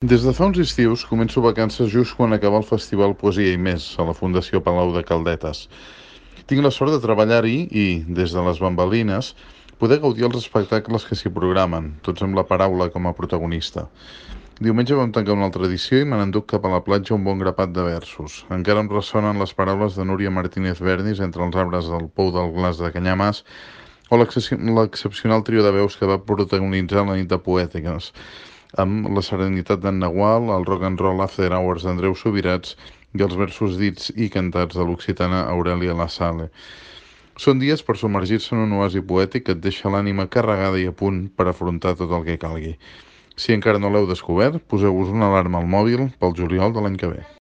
Des de fa uns estius començo vacances just quan acaba el festival Poesia i Més a la Fundació Palau de Caldetes. Tinc la sort de treballar-hi i, des de les bambalines, poder gaudir els espectacles que s'hi programen, tots amb la paraula com a protagonista. Diumenge vam tancar una altra edició i me n'enduc cap a la platja un bon grapat de versos. Encara em ressonen les paraules de Núria Martínez Verdis entre els arbres del Pou del Glaç de Canyamàs o l'excepcional trio de veus que va protagonitzar la nit de poètiques, amb la serenitat d'en Nagual, el rock and roll after hours d'Andreu Subirats i els versos dits i cantats de l'occitana Aurelia La Sale. Són dies per submergir-se en un oasi poètic que et deixa l'ànima carregada i a punt per afrontar tot el que calgui. Si encara no l'heu descobert, poseu-vos una alarma al mòbil pel juliol de l'any que ve.